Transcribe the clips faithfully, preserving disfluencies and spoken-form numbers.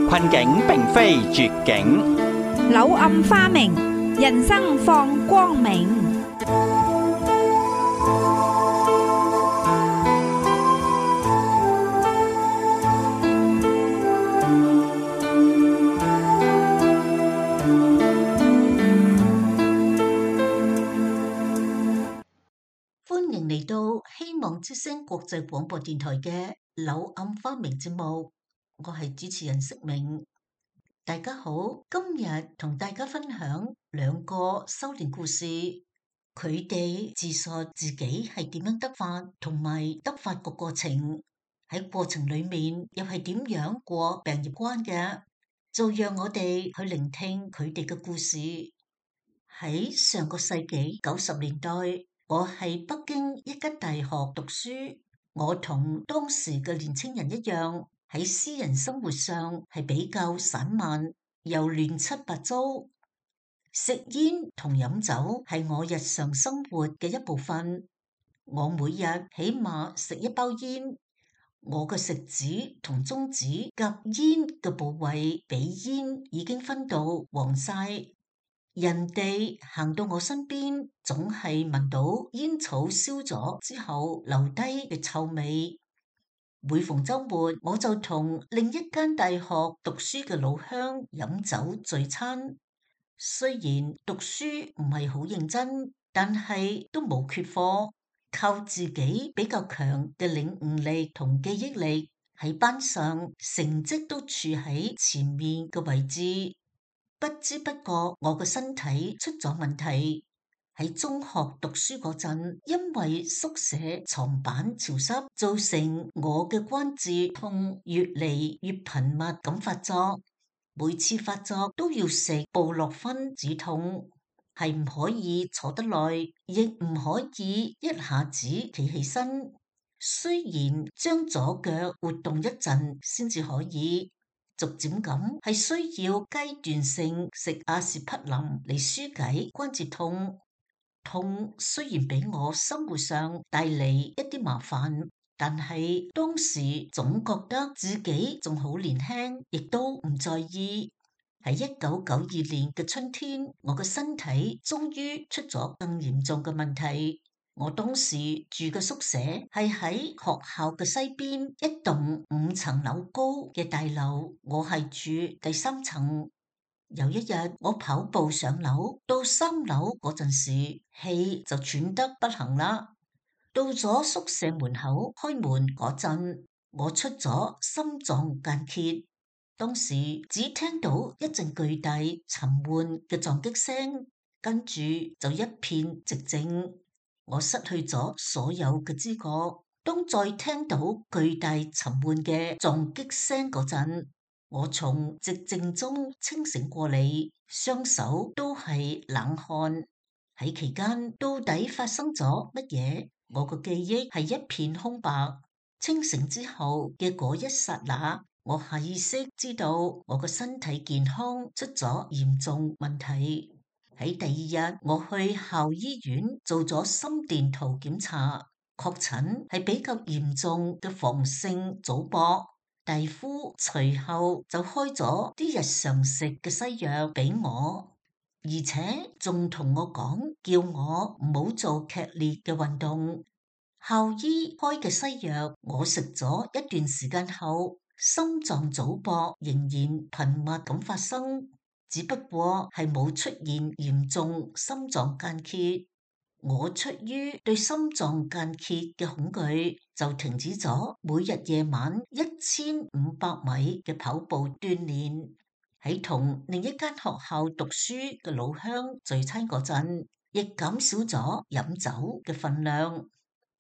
困境並非絕境，柳暗花明，人生放光明。歡迎嚟到希望之聲國際廣播電台嘅柳暗花明節目，我係主持人釋明。大家好，今日同大家分享兩個修煉故事，佢哋自述自己係點樣得法，同埋得法個過程，喺過程裏面又係點樣過病業關嘅，就讓我哋去聆聽佢哋嘅故事。喺上個世紀九十年代，我喺北京一間大學讀書，我同當時嘅年輕人一樣，喺私人生活上係比較散漫又亂七八糟。食煙同飲酒係我日常生活嘅一部分，我每日起碼食一包煙，我嘅食指同中指夾煙嘅部位比煙已經熏到黃晒。人哋行到我身邊，總係聞到煙草燒咗之後留低嘅臭味。每逢周末，我就同另一間大學讀書嘅老鄉飲酒聚餐。雖然讀書唔係好認真，但係都冇缺課，靠自己比較強嘅領悟力同記憶力，喺班上成績都處喺前面嘅位置。不知不覺，我嘅身體出咗問題。喺中學讀書嗰陣，因為宿舍床板潮濕，造成我嘅關節痛越嚟越頻密咁發作。每次發作都要食布洛芬止痛，係唔可以坐得耐，亦唔可以一下子企起身。雖然將左腳活動一陣先至可以。逐漸咁係需要階段性食阿士匹林嚟紓解關節痛。痛雖然俾我生活上帶嚟一啲麻煩，但係當時總覺得自己仲好年輕，亦都唔在意。喺一九九二年嘅春天，我嘅身體終於出咗更嚴重嘅問題。我當時住嘅宿舍係喺學校嘅西邊一棟五層樓高嘅大樓，我係住第三層。有一日我跑步上樓，到三樓嗰陣時，氣就喘得不行啦。到咗宿舍門口開門嗰陣，我出咗心臟間歇。當時只聽到一陣巨大沉悶嘅撞擊聲，跟住就一片寂靜。我失去咗所有嘅知覺。當再聽到巨大沉悶嘅撞擊聲嗰陣，我從寂靜中清醒過嚟，雙手都係冷汗。喺期間到底發生咗乜嘢？我個記憶係一片空白。清醒之後嘅嗰一剎那，我下意識知道我個身體健康出咗嚴重問題。喺第二日，我去校醫院做咗心電圖檢查，確診係比較嚴重嘅房性早搏。大夫隨後就開咗啲日常食嘅西藥俾我，而且仲同我講叫我唔好做劇烈嘅運動。校醫開嘅西藥，我食咗一段時間後，心臟早搏仍然頻密咁發生。只不過係冇出現嚴重心臟間歇，我出於對心臟間歇嘅恐懼，就停止咗每日夜晚一千五百米嘅跑步鍛煉。喺同另一間學校讀書嘅老鄉聚餐嗰陣，亦減少咗飲酒嘅份量。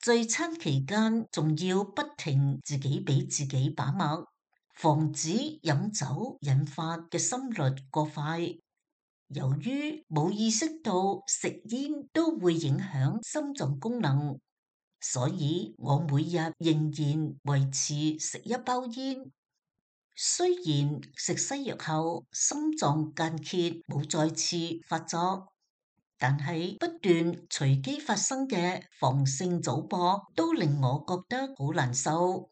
聚餐期間仲要不停自己俾自己把脈，防止飲酒引發嘅心率過快。由於冇意識到食煙都會影響心臟功能，所以我每日仍然維持食一包煙。雖然食西藥後心臟間歇冇再次發作，但係不斷隨機發生嘅房性早搏都令我覺得好難受。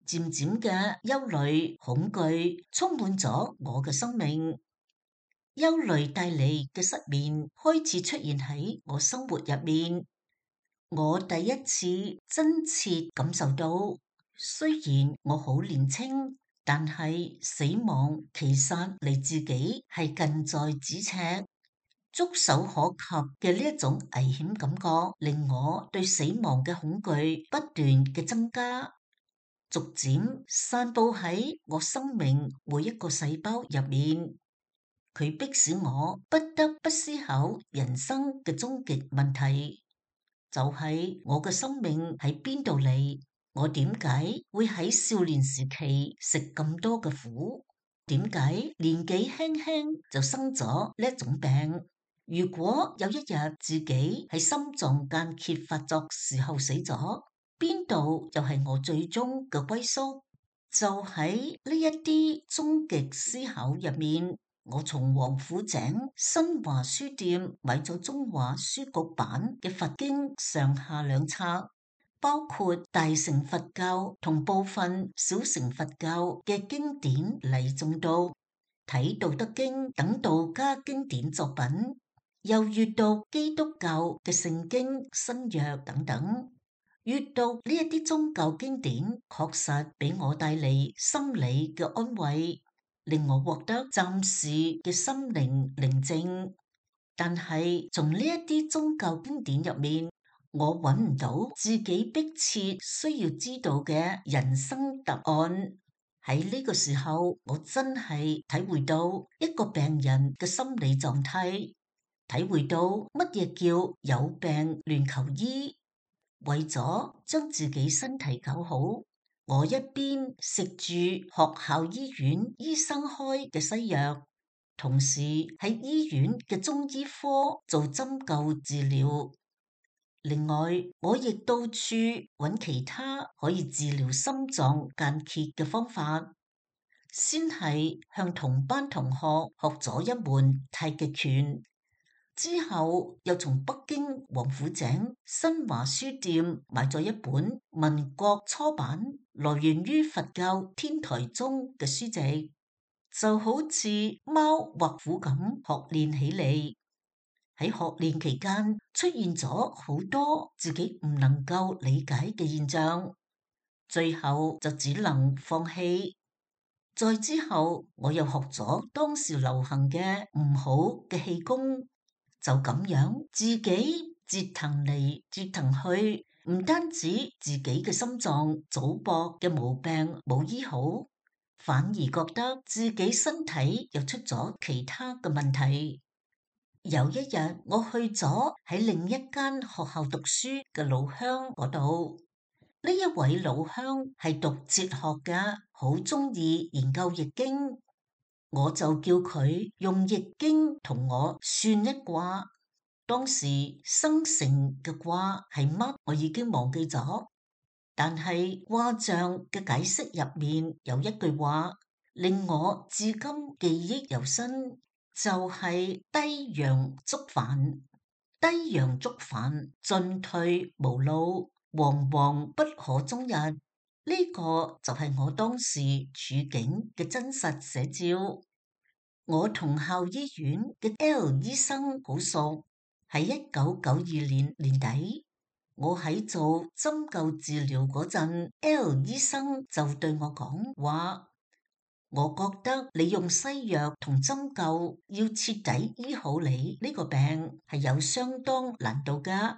漸漸嘅憂慮、恐懼充滿咗我嘅生命。憂慮帶嚟嘅失眠開始出現喺我生活入面。我第一次真切感受到，雖然我好年輕，但係死亡其實離自己係近在咫尺、觸手可及嘅呢一種危險感覺，令我對死亡嘅恐懼不斷嘅增加，逐漸散佈喺我生命每一個細胞入面。佢迫使我不得不思考人生嘅終極問題，就係我嘅生命喺邊度嚟？我點解會喺少年時期食咁多嘅苦？點解年紀輕輕就生咗呢一種病？如果有一日自己喺心臟間歇發作時候死咗，邊度又係我最終嘅歸宿？就喺呢一啲終極思考入面，我從王府井新華書店買咗中華書局版嘅佛經上下兩冊，包括大乘佛教同部分小乘佛教嘅經典嚟誦讀，睇道德經等道家經典作品，又閱讀基督教嘅聖經新約等等。閱讀呢一啲宗教經典，確實俾我帶嚟心理嘅安慰，令我獲得暫時嘅心靈寧靜。但係從呢一啲宗教經典入面，我揾唔到自己迫切需要知道嘅人生答案。喺呢個時候，我真係體會到一個病人嘅心理狀態，體會到乜嘢叫有病亂求醫。為咗將自己身體搞好，我一邊食住學校醫院醫生開嘅西藥，同時喺醫院嘅中醫科做針灸治療。另外，我亦到處揾其他可以治療心臟間歇嘅方法。先係向同班同學學咗一門太極拳，之後又從北京王府井新華書店買咗一本民國初版來源於佛教天台宗嘅書籍，就好似貓畫虎咁學練起嚟。喺學練期間出現咗好多自己唔能夠理解嘅現象，最後就只能放棄。再之後我又學咗當時流行嘅唔好嘅氣功，就咁樣自己折騰嚟折騰去，唔單止自己嘅心臟早搏嘅毛病冇醫好，反而覺得自己身體又出咗其他嘅問題。有一日我去咗喺另一間學校讀書嘅老鄉嗰度，呢一位老鄉係讀哲學嘅，好中意研究易經，我就叫佢用易經同我算一卦。當時生成嘅卦係乜我已經忘記咗，但係卦象嘅解釋入面有一句話令我至今記憶猶新，就係低陽觸犯，低陽觸犯，進退無路，惶惶不可終日。呢個就係我當時處境嘅真實寫照。我同校醫院嘅 L 醫生好熟，喺一九九二年年底，我喺做針灸治療嗰陣 ，L 醫生就對我講話。我覺得你用西藥同針灸要徹底醫好你呢個病係有相當難度㗎。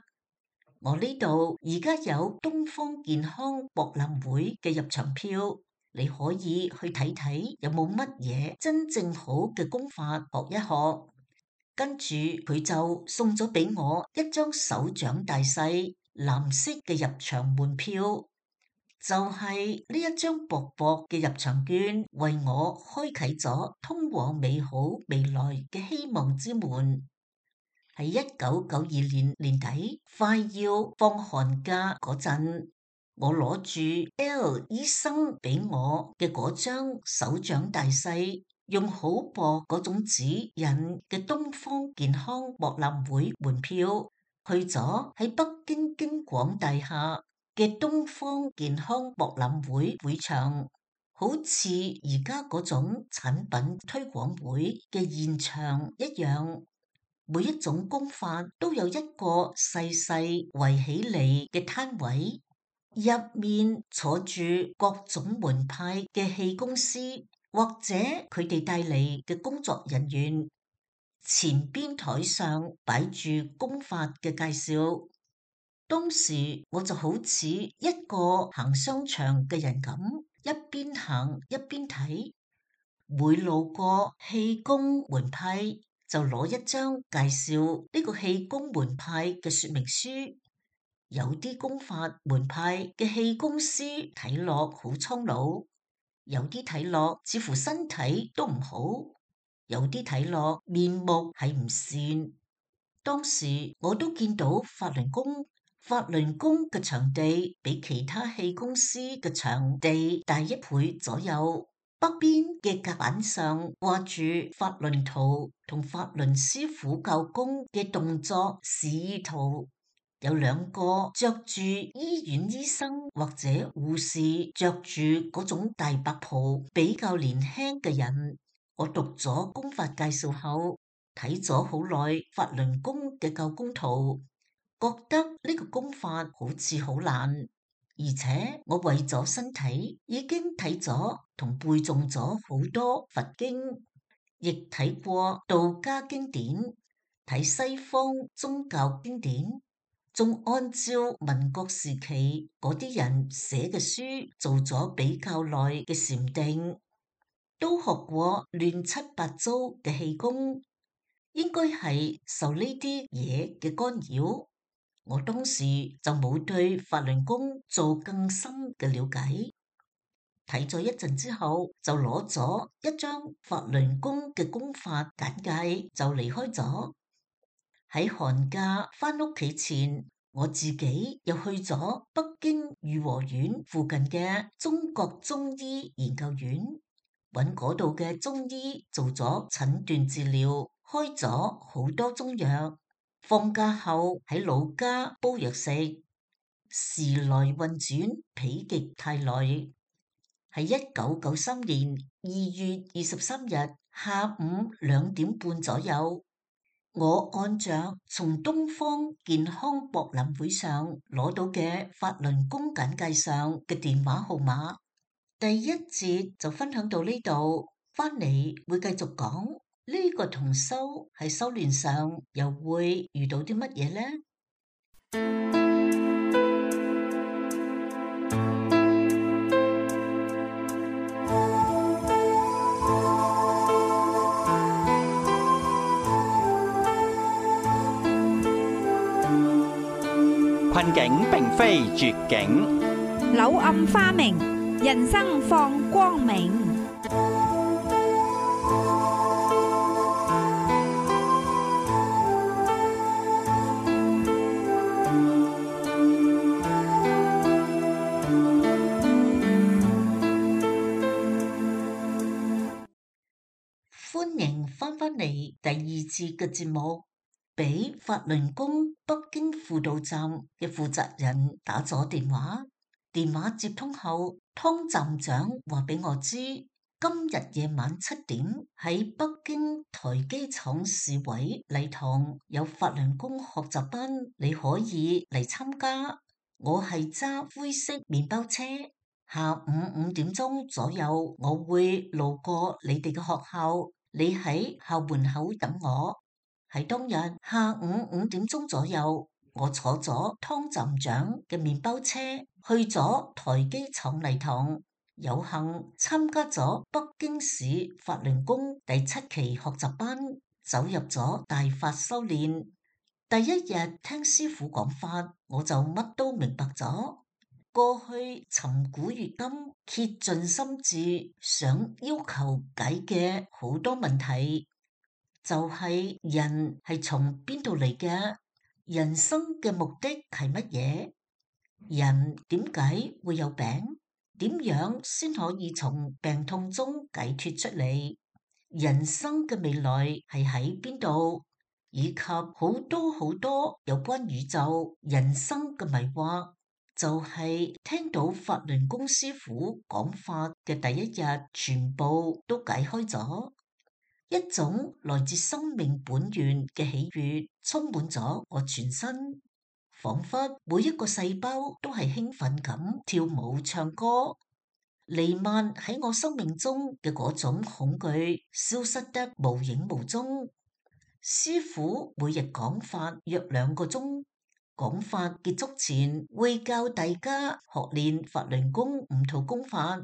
我呢度而家有東方健康博覽會嘅入場票，你可以去睇睇有冇乜嘢真正好嘅功法學一學。跟住佢就送咗俾我一張手掌大細藍色嘅入場門票。就係呢一張薄薄嘅入場券，為我開啟咗通往美好未來嘅希望之門。喺一九九二年年底，快要放寒假嗰陣，我攞住 L 醫生俾我嘅嗰張手掌大細、用好薄嗰種紙印嘅東方健康博覽會門票，去咗喺北京京廣大廈。嘅東方健康博覽會會場，好似而家嗰種產品推廣會嘅現場一樣，每一種工法都有一個細細圍起嚟嘅攤位，入面坐住各種門派嘅氣功師或者佢哋帶嚟嘅工作人員，前邊台上擺住功法嘅介紹。當時我就好似一個行商場嘅人咁，一邊行一邊睇，每路過氣功門派就攞一張介紹呢個氣功門派嘅說明書。有啲功法門派嘅氣功師睇落好蒼老，有啲睇落似乎身體都唔好，有啲睇落面目係唔善。當時我都見到法輪功。法輪功嘅場地比其他氣功師嘅場地大一倍左右。北邊嘅甲板上掛住法輪圖同法輪師傅教功嘅動作示意圖，有兩個着住醫院醫生或者護士着住嗰種大白袍比較年輕嘅人。我讀咗功法介紹後，睇咗好耐法輪功嘅教功圖，覺得呢個功法好似好難，而且我為咗身體已經睇咗同背誦咗好多佛經，亦睇過道家經典，睇西方宗教經典，仲按照民國時期嗰啲人寫嘅書做咗比較耐嘅禪定，都學過亂七八糟嘅氣功，應該係受呢啲嘢嘅干擾。我當時就冇對法輪功做更深嘅了解，睇咗一陣之後就攞咗一張法輪功嘅功法簡介就離開咗。喺寒假返屋企前，我自己又去咗北京頤和園附近嘅中國中醫研究院，揾嗰度嘅中醫做咗診斷治療，開咗好多中藥。放假後喺老家煲藥食，時來運轉，否極泰來。喺一九九三年二月二十三日下午兩點半左右，我按着從東方健康博覽會上攞到嘅法輪功簡介上嘅電話號碼，第一節就分享到呢度，翻嚟會繼續講。呢個同修喺修煉上又會遇到啲乜嘢呢？困境並非絕境，柳暗花明，人生放光明。歡迎翻返嚟第二次嘅節目，俾法輪功北京輔導站嘅負責人打咗電話。電話接通後，湯站長話俾我知，今日夜晚七點喺北京台機廠市委禮堂有法輪功學習班，你可以嚟參加。我係揸灰色麵包車，下午五點鐘左右我會路過你哋嘅學校。你喺校門口等我。喺當日下午五點鐘左右，我坐咗湯站長嘅麵包車去咗台機廠禮堂，有幸參加咗北京市法輪功第七期學習班，走入咗大法修煉。第一日聽師傅講法，我就乜都明白咗。過去尋古閱今，竭盡心智想要求解嘅好多問題，就係人係從邊度嚟嘅？人生嘅目的係乜嘢？人點解會有病？點樣先可以從病痛中解脫出嚟？人生嘅未來係喺邊度？以及好多好多有關宇宙、人生嘅迷惑。就係聽到法輪功師傅講法嘅第一日，全部都解開咗，一種來自生命本源嘅喜悅充滿咗我全身，仿佛每一個細胞都係興奮咁跳舞唱歌。彌漫喺我生命中嘅嗰種恐懼消失得無影無蹤。師傅每日講法約兩個鐘，講法結束前會教大家學練法輪功五套功法。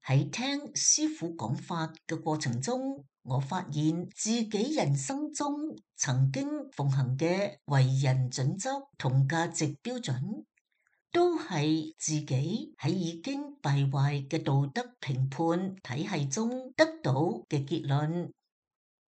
喺聽師傅講法嘅過程中，我發現自己人生中曾經奉行嘅為人準則同價值標準，都係自己喺已經敗壞嘅道德評判體系中得到嘅結論。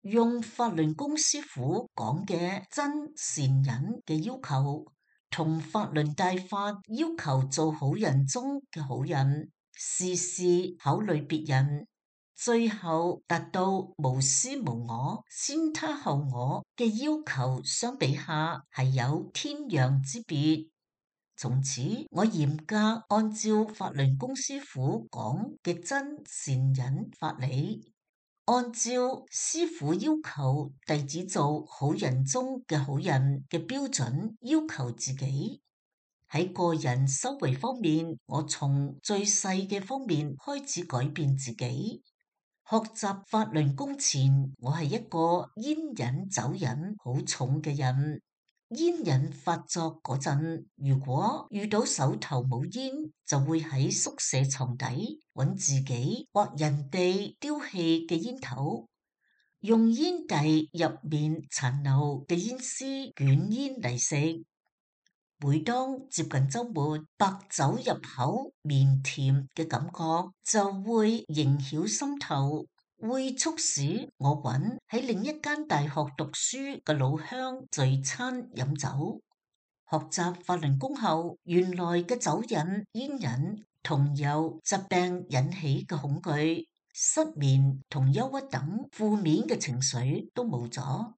用法輪功師傅講嘅真善忍嘅要求，同法輪大法要求做好人中嘅好人，事事考慮別人，最後達到無私無我、先他後我嘅要求相比下，係有天壤之別。從此，我嚴格按照法輪功師傅講嘅真善忍法理，按照師傅要求弟子做好人中嘅好人嘅標準要求自己。喺個人修為方面，我從最細嘅方面開始改變自己。學習法輪功前，我係一個煙癮酒癮好重嘅人。煙癮發作嗰陣，如果遇到手頭冇煙，就會喺宿舍床底揾自己或人哋丟棄嘅煙頭，用煙蒂入面殘留嘅煙絲捲煙嚟食。每當接近周末，白酒入口綿甜嘅感覺就會縈繞心頭，會促使我揾喺另一間大學讀書嘅老鄉聚餐飲酒。學習法輪功後，原來嘅酒癮、煙癮同由疾病引起嘅恐懼、失眠同憂鬱等負面嘅情緒都冇咗。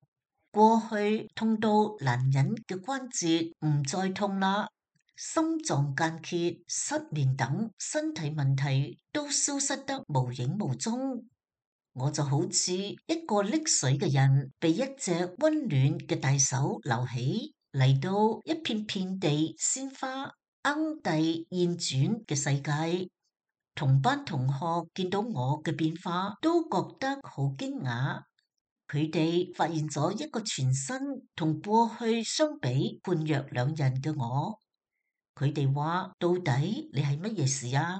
過去痛到難忍嘅關節唔再痛啦，心臟間歇、失眠等身體問題都消失得無影無蹤。我就好似一個溺水嘅人，被一隻溫暖嘅大手撈起，嚟到一片片地鮮花、鶯帝燕轉嘅世界。同班同學見到我嘅變化，都覺得好驚訝。佢哋發現咗一個全新同過去相比判若兩人嘅我。佢哋話：到底你係乜嘢事啊？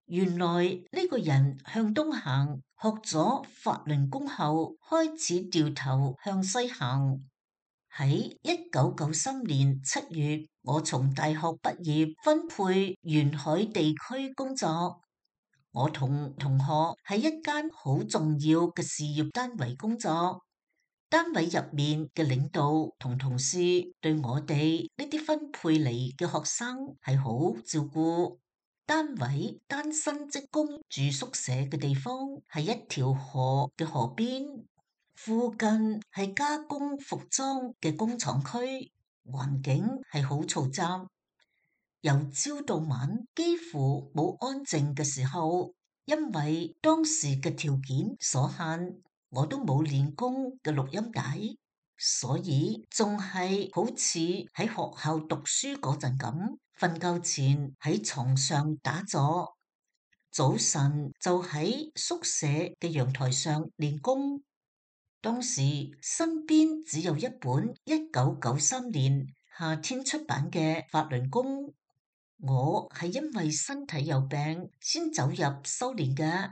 原來呢個人向東行，學咗法輪功後，開始掉頭向西行。喺一九九三年七月，我從大學畢業，分配沿海地區工作。我同同學喺一間好重要嘅事業單位工作，單位入面嘅領導同同事對我哋呢啲分配嚟嘅學生係好照顧。單位單身職工住宿舍嘅地方係一條河嘅河邊，附近係加工服裝嘅工廠區，環境係好嘈雜。由朝到晚幾乎冇安靜嘅時候，因為當時嘅條件所限，我都冇練功嘅錄音帶，所以仲係好似喺學校讀書嗰陣咁，瞓覺前喺床上打坐，早晨就喺宿舍嘅陽台上練功。當時身邊只有一本一九九三年夏天出版嘅法輪功。我係因為身體有病先走入修煉嘅，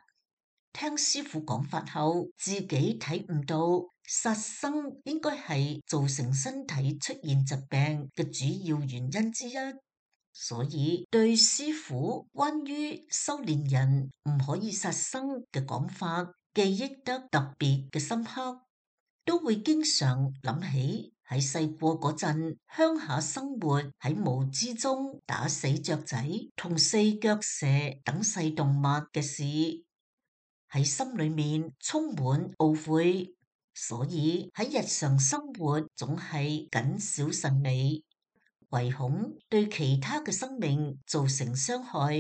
聽師傅講法後，自己睇唔到殺生應該係造成身體出現疾病嘅主要原因之一，所以對師傅關於修煉人唔可以殺生嘅講法記憶得特別嘅深刻，都會經常諗起喺細個嗰陣，鄉下生活喺霧之中打死雀仔同四腳蛇等細動物嘅事，喺心裏面充滿懊悔，所以喺日常生活總係謹小慎微。唯恐對其他嘅生命造成傷害。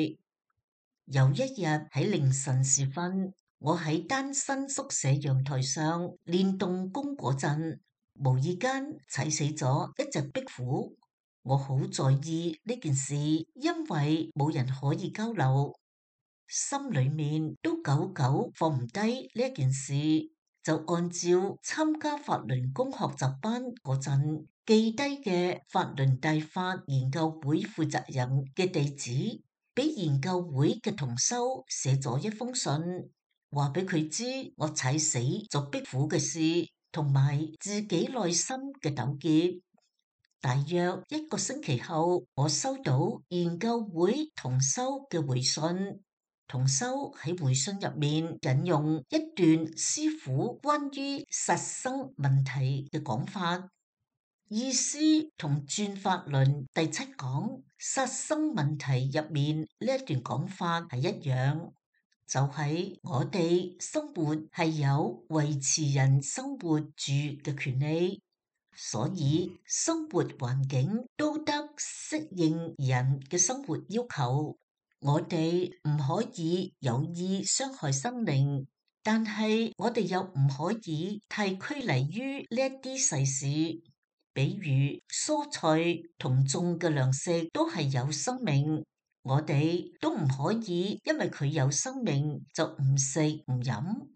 有一日喺凌晨時分，我喺單身宿舍陽台上練動功嗰陣，無意間踩死咗一隻壁虎。我好在意呢件事，因為冇人可以交流，心裏面都久久放唔低呢件事，就按照參加法輪功學習班嗰陣記低嘅法輪大法研究會負責人嘅地址，俾研究會嘅同修寫咗一封信，話俾佢知我踩死咗壁虎嘅事，同埋自己內心嘅糾結。大約一個星期後，我收到研究會同修嘅回信，同修喺回信入面引用一段師父關於殺生問題嘅講法，意思同轉法輪第七講殺生問題入面呢一段講法係一樣，就係、是、我哋生活係有維持人生活住嘅權利。所以生活環境都得適應人嘅生活要求，我哋唔可以有意傷害生靈，但係我哋又唔可以太拘泥於呢一啲細事。比如蔬菜同種嘅糧食都係有生命，我哋都唔可以因為佢有生命就唔食唔飲，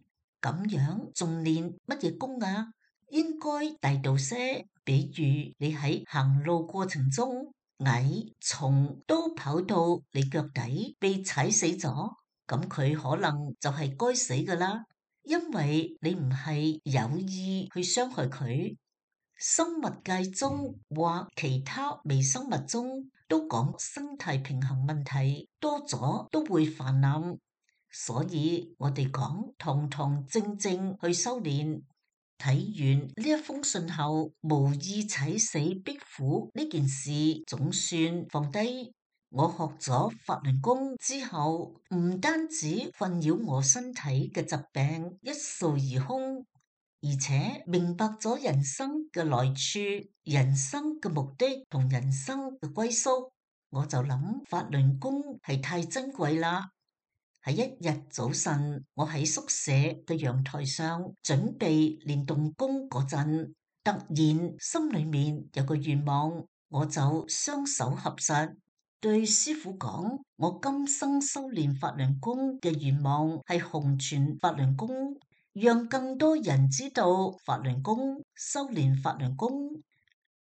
咁樣仲練乜嘢功啊？應該大度些，比如你喺行路過程中，蟻蟲都跑到你腳底被踩死咗，咁佢可能就係該死㗎啦，因為你唔係有意去傷害佢。生物界中或其他微生物中都講生態平衡問題，多咗都會氾濫，所以我哋講堂堂正正去修煉。睇完呢一封信後，無意踩死壁虎呢件事總算放低。我學咗法輪功之後，唔單止困擾我身體嘅疾病一掃而空，而且明白咗人生嘅來處、人生嘅目的同人生嘅歸宿。我就諗法輪功係太珍貴啦。喺一日早晨，我喺宿舍嘅陽台上準備練動功嗰陣，突然心裏面有個願望，我就雙手合十，對師父講：我今生修煉法輪功嘅願望係弘傳法輪功，讓更多人知道法輪功，修煉法輪功。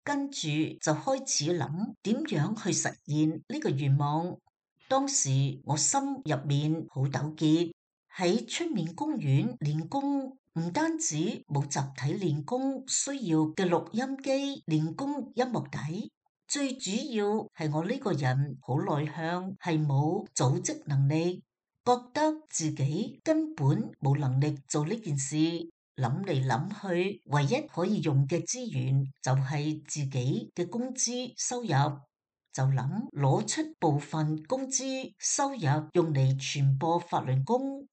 跟住就開始諗點樣去實現呢個願望。當時我心入面好糾結，喺出面公園練功，唔單止冇集體練功需要嘅錄音機練功音樂底，最主要係我呢個人好內向，係冇組織能力，覺得自己根本冇能力做呢件事。諗嚟諗去，唯一可以用嘅資源就係自己嘅工資收入。就諗攞出部分工資收入用嚟傳播法輪功。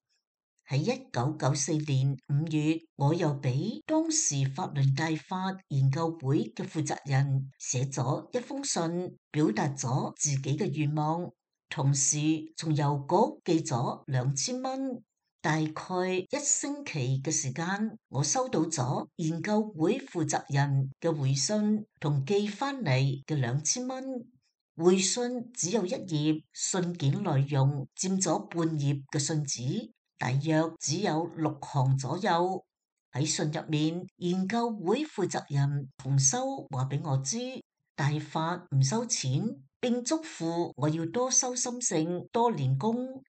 喺一九九四年五月，我又俾當時法輪大法研究會嘅負責人寫咗一封信，表達咗自己嘅願望，同時從郵局寄咗兩千蚊。大概一星期嘅時間，我收到咗研究會負責人嘅回信同寄翻嚟嘅兩千蚊。回信只有一頁，信件內容佔咗半頁嘅信紙，大約只有六行左右。喺信入面，研究會負責人同修話俾我知，大法唔收錢，並囑咐我要多修心性，多練功。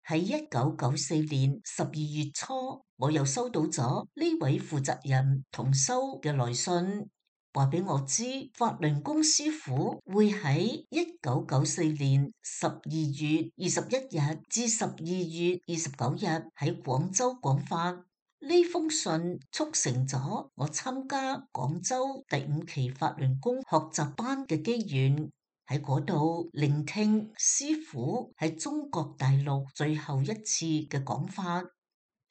喺一九九四年十二月初，我又收到咗呢位負責人同修嘅來信。話俾我知，法輪功師傅會喺一九九四年十二月二十一日至十二月二十九日喺廣州講法。呢封信促成咗我參加廣州第五期法輪功學習班嘅機緣，喺嗰度聆聽師傅喺中國大陸最後一次嘅講法。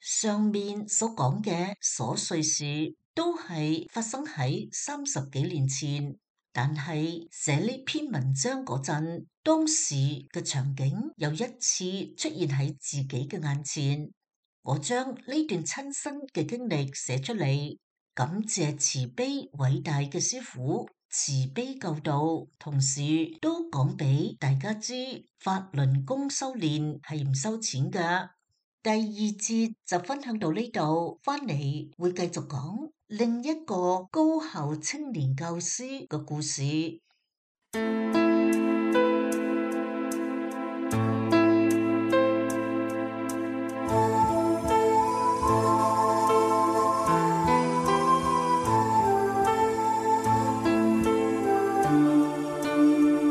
上面所講嘅瑣碎事都係發生喺三十幾年前，但係寫呢篇文章嗰陣，當時嘅場景又一次出現喺自己嘅眼前。我將呢段親身嘅經歷寫出嚟，感謝慈悲偉大嘅師父慈悲救度，同時都講俾大家知法輪功修煉係唔收錢㗎。第二節就分享到呢度，翻嚟會繼續講另一個高校青年教師嘅故事。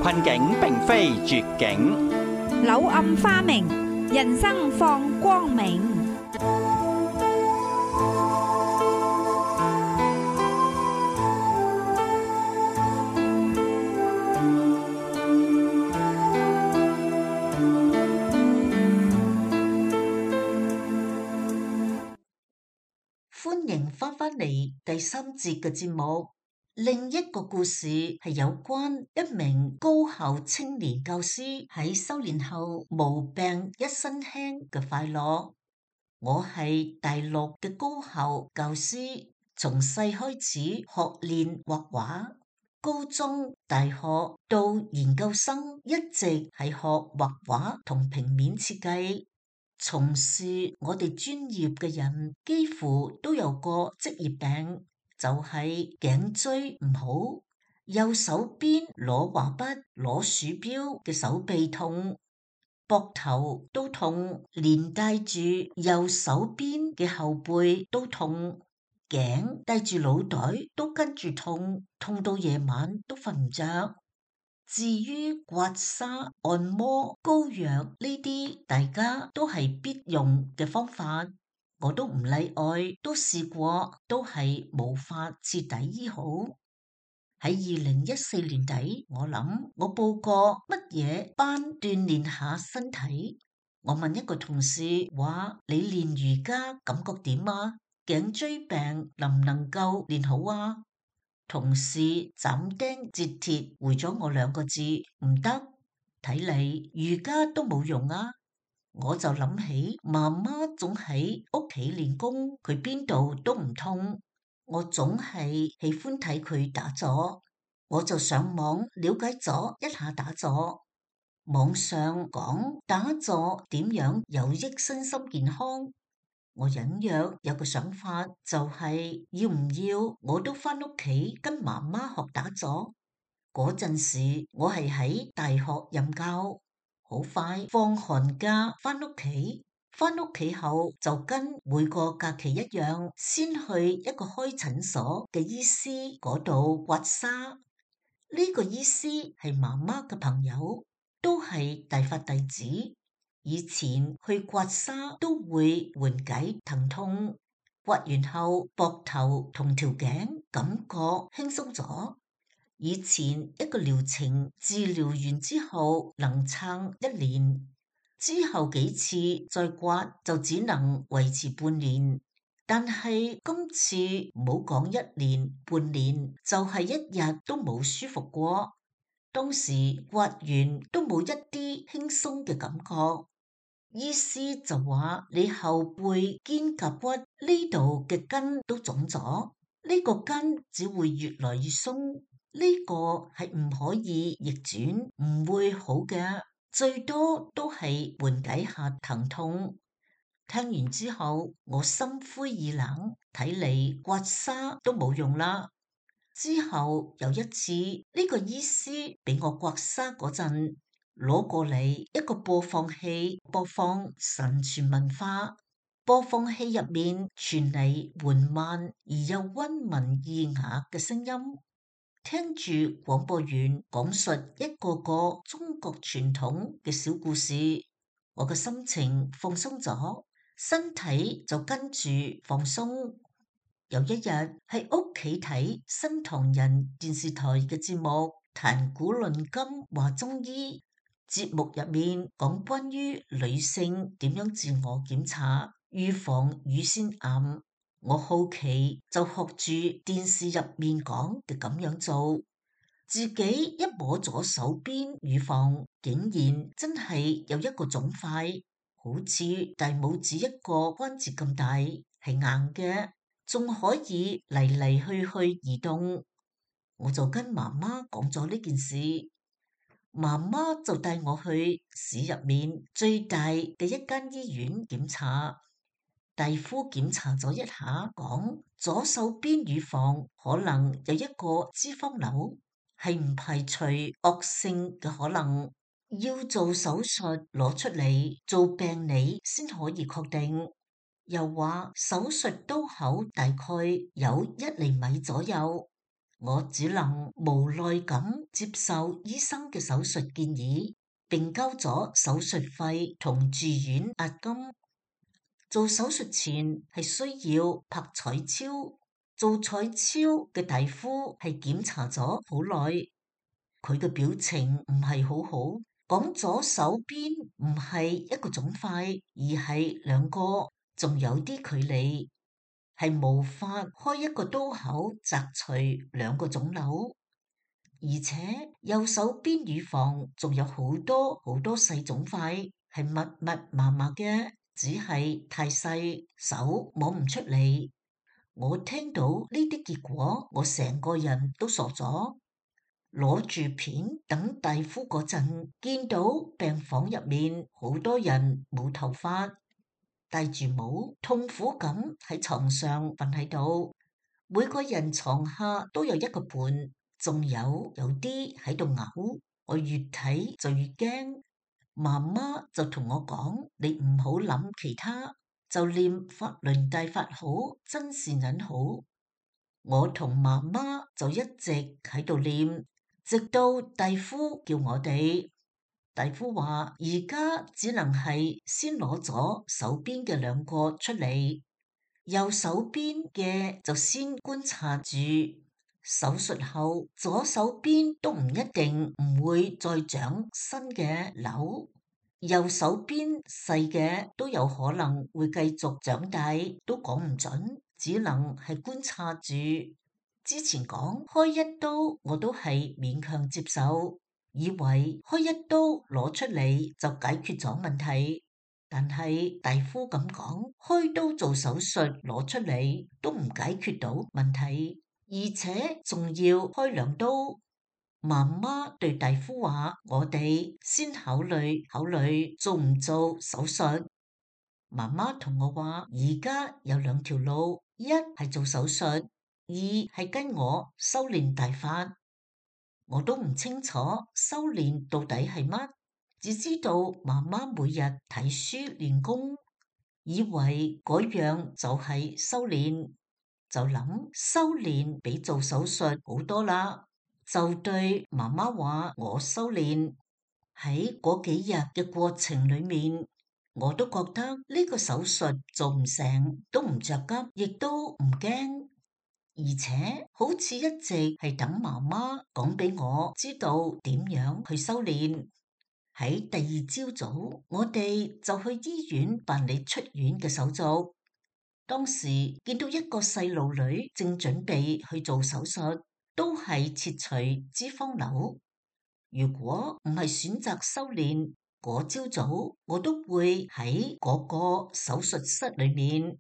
困境並非絕境，柳暗花明，人生放光明。歡迎翻返嚟第三節嘅節目。另一個故事係有關一名高校青年教師喺修煉後無病一身輕嘅快樂。我係大陸嘅高校教師，從細開始學練畫畫，高中、大學到研究生一直係學畫畫同平面設計。從事我哋專業嘅人幾乎都有個職業病，就係頸椎唔好，右手邊攞畫筆、攞鼠標嘅手臂痛，膊頭都痛，連帶住右手邊嘅後背都痛，頸帶住腦袋都跟住痛，痛到夜晚都瞓唔着。至於刮痧、按摩、膏藥呢啲，大家都係必用嘅方法，我都唔例外，都試過，都係無法徹底醫好。喺二零一四年底，我諗我報過乜嘢班鍛煉下身體。我問一個同事話：你練瑜伽感覺點啊？頸椎病能唔能夠練好啊？同事斬釘截鐵回咗我兩個字：唔得。睇嚟瑜伽都冇用啊！我就諗起媽媽總喺屋企練功，佢邊度都唔痛。我總係喜歡睇佢打坐，我就上網了解咗一下打坐。網上講打坐點樣有益身心健康。我隱約有個想法，就係要唔要我都返屋企跟媽媽學打坐。嗰陣時我係喺大學任教，好快放寒假返屋企，返屋企後就跟每個假期一樣，先去一個開診所嘅醫師嗰度刮痧。呢個醫師係媽媽嘅朋友，都係大法弟子。以前去刮痧都會緩解疼痛，刮完後膊頭同條頸感覺輕鬆咗。以前一個療程治療完之後能撐一年，之後幾次再刮就只能維持半年。但係今次唔好講一年半年，就係一日都冇舒服過。當時刮完都冇一啲輕鬆嘅感覺。醫師就話你後背肩胛骨呢度嘅筋都腫咗，呢個筋只會越來越鬆，呢個係唔可以逆轉，唔會好嘅，最多都係緩解下疼痛。聽完之後我心灰意冷，睇嚟刮痧都冇用啦。之後有一次呢個醫師俾我刮痧嗰陣，攞過嚟一個播放器，播放神傳文化。播放器入面傳嚟緩慢而又溫文爾雅嘅聲音，聽住廣播員講述一個個中國傳統嘅小故事，我嘅心情放鬆咗，身體就跟住放鬆。有一日喺屋企睇新唐人電視台嘅節目，談古論今話中醫。節目入面講關於女性點樣自我檢查預防乳腺癌，我好奇就學住電視入面講嘅咁樣做。自己一摸左手邊乳房，竟然真係有一個腫塊，好似大拇指一個關節咁大，係硬嘅，仲可以嚟嚟去去移動。我就跟媽媽講咗呢件事，媽媽就帶我去市入面最大嘅一間醫院檢查。大夫檢查咗一下，講左手邊乳房可能有一個脂肪瘤，係唔排除惡性嘅可能，要做手術攞出嚟做病理先可以確定。又話手術刀口大概有一厘米左右。我只能無奈咁接受醫生嘅手術建議，並交咗手術費同住院押金。做手術前係需要拍彩超，做彩超嘅大夫係檢查咗好耐，佢嘅表情唔係好好，講左手邊唔係一個腫塊，而係兩個，仲有啲距離。係無法開一個刀口摘除兩個腫瘤，而且右手邊乳房仲有好多好多細腫塊，係密密麻麻嘅，只係太細，手摸唔出嚟。我聽到呢啲結果，我成個人都傻咗，攞住片等大夫嗰陣，見到病房入面好多人冇頭髮，戴住帽，痛苦咁喺床上瞓喺度，每個人床下都有一個伴，仲有有啲喺度嘔，我越睇就越驚。媽媽就同我講：你唔好諗其他，就念法輪大法好，真善忍好。我同媽媽就一直喺度念，直到大夫叫我哋。大夫話：而家只能係先攞咗手邊嘅兩個出嚟，右手邊嘅就先觀察住。手術後左手邊都唔一定唔會再長新嘅瘤，右手邊細嘅都有可能會繼續長大，都講唔準，只能係觀察住。之前講開一刀我都係勉強接受，以為開一刀攞出嚟就解決咗問題，但係大夫咁講，開刀做手術攞出嚟都唔解決到問題，而且仲要開兩刀。媽媽對大夫話：我哋先考慮考慮做唔做手術。媽媽同我話：而家有兩條路，一係做手術，二係跟我修煉大法。我都唔清楚修煉到底係乜，只知道媽媽每日睇書練功，以為嗰樣就係修煉，就諗修煉比做手術好多啦。就對媽媽話我修煉。喺嗰幾日嘅過程裏面，我都覺得呢個手術做唔成，都唔着急，亦都唔驚。而且好似一直係等媽媽講俾我知道點樣去修煉。喺第二朝早，我哋就去醫院辦理出院嘅手續。當時見到一個細路女正準備去做手術，都係切除脂肪瘤。如果唔係選擇修煉，嗰朝早我都會喺嗰個手術室裏面。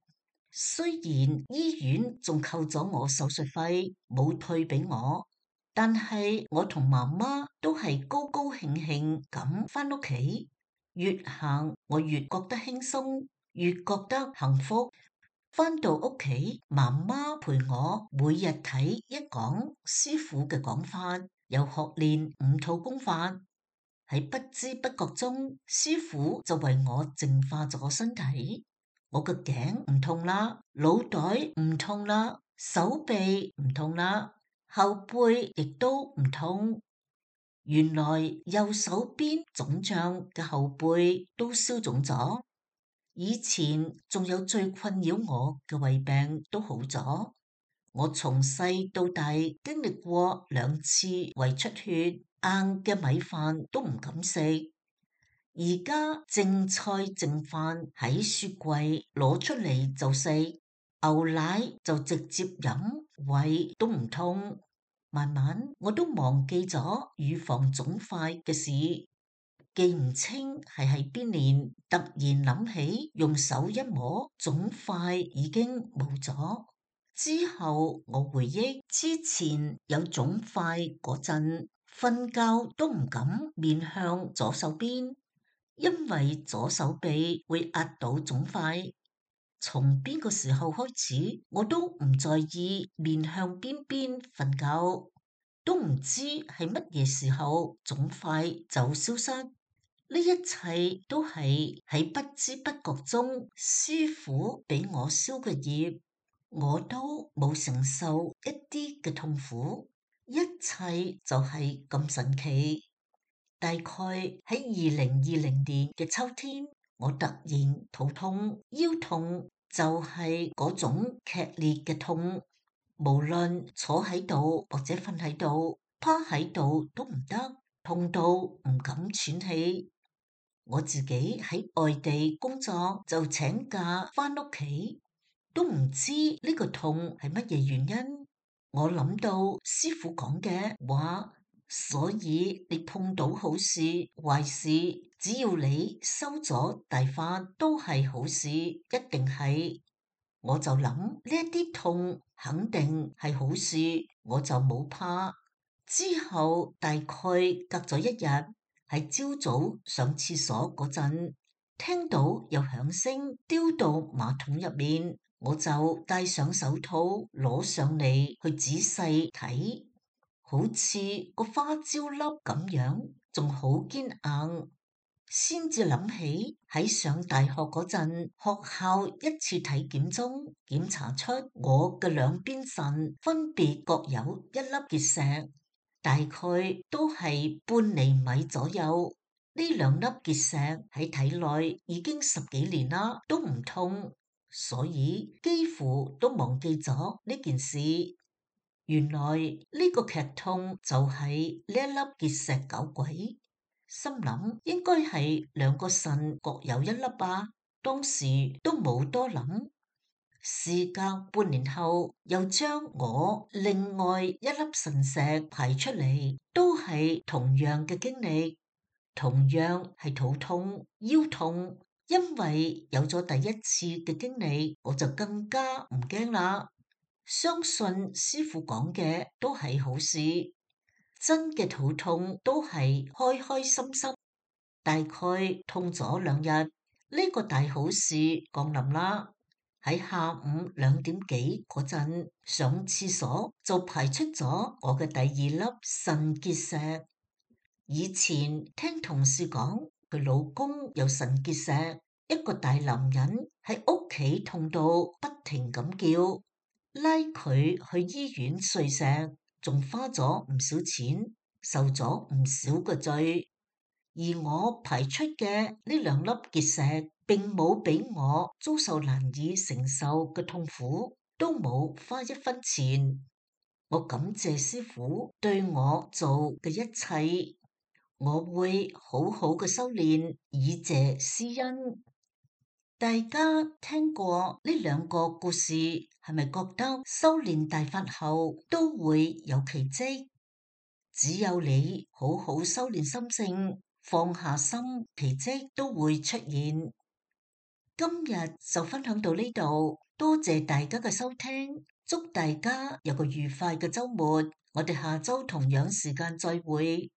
雖然醫院仲扣咗我手術費，冇退俾我，但係我同媽媽都係高高興興咁返屋企。越行我越覺得輕鬆，越覺得幸福。返到屋企，媽媽陪我每日睇一講師傅嘅講法，又學練五套功法。喺不知不覺中，師傅就為我淨化咗身體。我個頸唔痛啦，腦袋唔痛啦，手臂唔痛啦，後背亦都唔痛。原來右手邊腫脹嘅後背都消腫咗，以前仲有最困擾我嘅胃病都好咗。我從細到大經歷過兩次胃出血，硬嘅米飯都唔敢食。而家剩菜剩飯喺雪櫃攞出嚟就食，牛奶就直接飲，胃都唔痛。慢慢我都忘記咗預防腫塊嘅事，記唔清係喺邊年突然諗起用手一摸，腫塊已經冇咗。之後我回憶之前有腫塊嗰陣，瞓覺都唔敢面向左手邊，因為左手臂會壓到腫塊。從邊個時候開始，我都唔在意面向邊邊瞓覺，都唔知係乜嘢時候腫塊就消失。呢一切都係喺不知不覺中，師父俾我消嘅業，我都冇承受一啲嘅痛苦，一切就係咁神奇。大概喺二零二零年嘅秋天，我突然肚痛、腰痛，就係嗰種劇烈嘅痛，無論坐喺度或者瞓喺度、趴喺度都唔得，痛到唔敢喘氣。我自己喺外地工作就請假返屋企，都唔知呢個痛係乜嘢原因。我諗到師父講嘅話，所以你碰到好事壞事，只要你修咗大法都係好事，一定係。我就諗呢一啲痛肯定係好事，我就冇怕。之後大概隔咗一日，喺朝早上廁所嗰陣，聽到有響聲丟到馬桶入面，我就戴上手套攞上嚟去仔細睇，好似個花椒粒咁樣，仲好堅硬。先至諗起喺上大學嗰陣，學校一次體檢中檢查出我嘅兩邊腎分別各有一粒結石，大概都係半厘米左右。呢兩粒結石喺體內已經十幾年啦，都唔痛，所以幾乎都忘記咗呢件事。原來呢個劇痛就係呢一粒結石搞鬼。心諗應該係兩個腎各有一粒吧，當時都冇多諗。事隔半年後，又將我另外一粒腎石排出嚟，都係同樣嘅經歷，同樣係肚痛、腰痛。因為有咗第一次嘅經歷，我就更加唔驚啦。相信師父講嘅都係好事。真嘅肚痛都係開開心心，大概痛咗兩日，呢個大好事降臨啦。喺下午兩點幾嗰陣上廁所就排出咗我嘅第二粒腎結石。以前聽同事講佢老公有腎結石，一個大男人喺屋企痛到不停咁叫，拉佢去醫院碎石，仲花咗唔少錢，受咗唔少嘅罪。而我排出嘅呢兩粒結石，並冇俾我遭受難以承受嘅痛苦，都冇花一分錢。我感謝師父對我做嘅一切，我會好好嘅修煉，以謝師恩。大家聽過呢兩個故事，係咪覺得修煉大法後都會有奇蹟？只有你好好修煉心性，放下心，奇蹟都會出現。今日就分享到呢度，多謝大家嘅收聽，祝大家有個愉快嘅週末。我哋下週同樣時間再會。